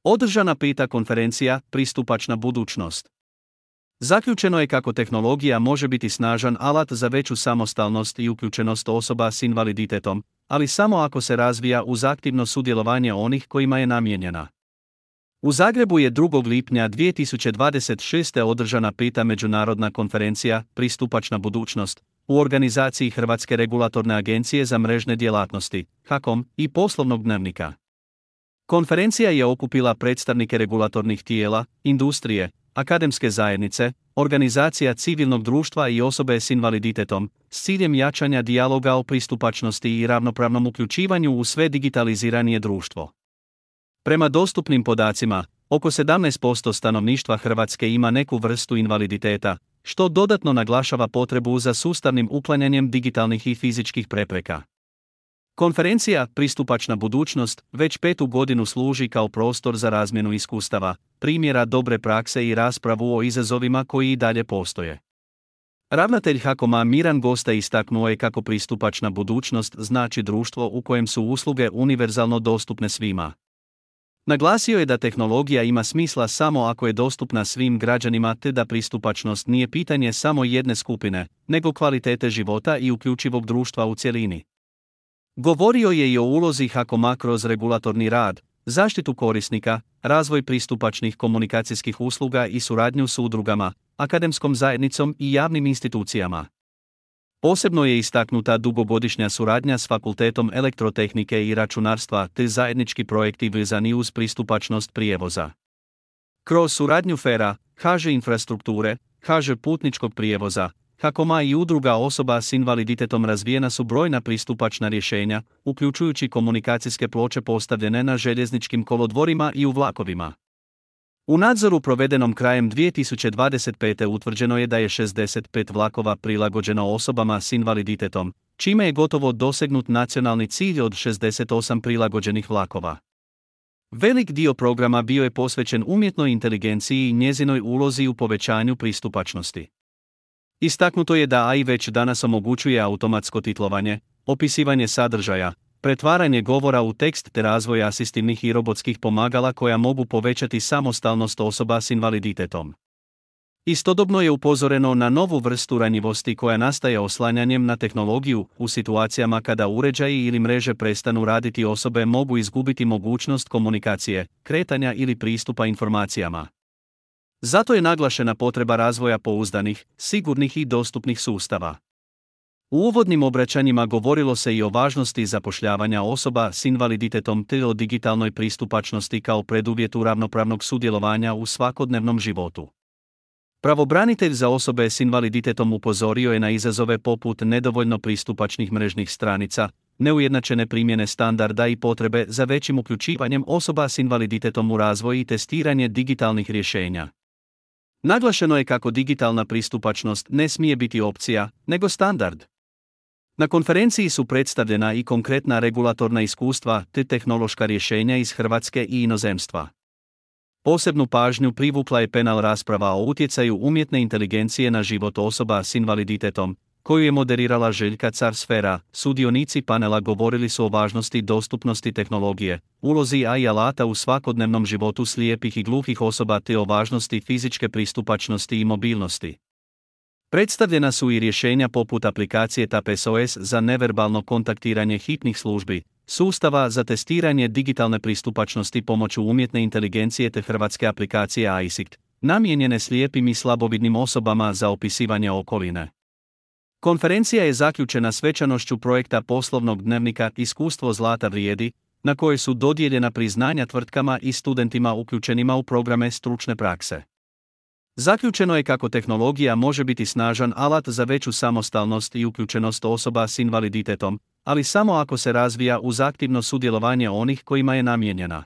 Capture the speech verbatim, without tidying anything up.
Održana peta konferencija Pristupačna budućnost. Zaključeno je kako tehnologija može biti snažan alat za veću samostalnost i uključenost osoba s invaliditetom, ali samo ako se razvija uz aktivno sudjelovanje onih kojima je namijenjena. U Zagrebu je drugog lipnja dvije tisuće dvadeset šeste. održana peta međunarodna konferencija Pristupačna budućnost u organizaciji Hrvatske regulatorne agencije za mrežne djelatnosti, HAKOM, i Poslovnog dnevnika. Konferencija je okupila predstavnike regulatornih tijela, industrije, akademske zajednice, organizacija civilnog društva i osobe s invaliditetom, s ciljem jačanja dijaloga o pristupačnosti i ravnopravnom uključivanju u sve digitaliziranije društvo. Prema dostupnim podacima, oko sedamnaest posto stanovništva Hrvatske ima neku vrstu invaliditeta, što dodatno naglašava potrebu za sustavnim uklanjanjem digitalnih i fizičkih prepreka. Konferencija Pristupačna budućnost već petu godinu služi kao prostor za razmjenu iskustava, primjera dobre prakse i raspravu o izazovima koji i dalje postoje. Ravnatelj HAKOM-a Miran Gosta istaknuo je kako pristupačna budućnost znači društvo u kojem su usluge univerzalno dostupne svima. Naglasio je da tehnologija ima smisla samo ako je dostupna svim građanima te da pristupačnost nije pitanje samo jedne skupine, nego kvalitete života i uključivog društva u cjelini. Govorio je i o ulozi HAKOM-a kroz regulatorni rad, zaštitu korisnika, razvoj pristupačnih komunikacijskih usluga i suradnju s udrugama, akademskom zajednicom i javnim institucijama. Posebno je istaknuta dugogodišnja suradnja s Fakultetom elektrotehnike i računarstva te zajednički projekti vezani uz pristupačnost prijevoza. Kroz suradnju FER-a, H Ž infrastrukture, H Ž putničkog prijevoza, HAKOM-a i udruga osoba s invaliditetom razvijena su brojna pristupačna rješenja, uključujući komunikacijske ploče postavljene na željezničkim kolodvorima i u vlakovima. U nadzoru provedenom krajem dvije tisuće dvadeset pete. utvrđeno je da je šezdeset pet vlakova prilagođeno osobama s invaliditetom, čime je gotovo dosegnut nacionalni cilj od šezdeset osam prilagođenih vlakova. Velik dio programa bio je posvećen umjetnoj inteligenciji i njezinoj ulozi u povećanju pristupačnosti. Istaknuto je da A I već danas omogućuje automatsko titlovanje, opisivanje sadržaja, pretvaranje govora u tekst te razvoj asistivnih i robotskih pomagala koja mogu povećati samostalnost osoba s invaliditetom. Istodobno je upozoreno na novu vrstu ranjivosti koja nastaje oslanjanjem na tehnologiju. U situacijama kada uređaji ili mreže prestanu raditi, osobe mogu izgubiti mogućnost komunikacije, kretanja ili pristupa informacijama. Zato je naglašena potreba razvoja pouzdanih, sigurnih i dostupnih sustava. U uvodnim obraćanjima govorilo se i o važnosti zapošljavanja osoba s invaliditetom te o digitalnoj pristupačnosti kao preduvjetu ravnopravnog sudjelovanja u svakodnevnom životu. Pravobranitelj za osobe s invaliditetom upozorio je na izazove poput nedovoljno pristupačnih mrežnih stranica, neujednačene primjene standarda i potrebe za većim uključivanjem osoba s invaliditetom u razvoj i testiranje digitalnih rješenja. Naglašeno je kako digitalna pristupačnost ne smije biti opcija, nego standard. Na konferenciji su predstavljena i konkretna regulatorna iskustva te tehnološka rješenja iz Hrvatske i inozemstva. Posebnu pažnju privukla je panel rasprava o utjecaju umjetne inteligencije na život osoba s invaliditetom, koju je moderirala Željka Car s FER-a. Sudionici panela govorili su o važnosti dostupnosti tehnologije, ulozi A I alata u svakodnevnom životu slijepih i gluhih osoba te o važnosti fizičke pristupačnosti i mobilnosti. Predstavljena su i rješenja poput aplikacije T A P S O S za neverbalno kontaktiranje hitnih službi, sustava za testiranje digitalne pristupačnosti pomoću umjetne inteligencije te hrvatske aplikacije A I S I C T, namijenjene slijepim i slabovidnim osobama za opisivanje okoline. Konferencija je zaključena svečanošću projekta Poslovnog dnevnika Iskustvo zlata vrijedi, na kojoj su dodijeljena priznanja tvrtkama i studentima uključenima u programe stručne prakse. Zaključeno je kako tehnologija može biti snažan alat za veću samostalnost i uključenost osoba s invaliditetom, ali samo ako se razvija uz aktivno sudjelovanje onih kojima je namijenjena.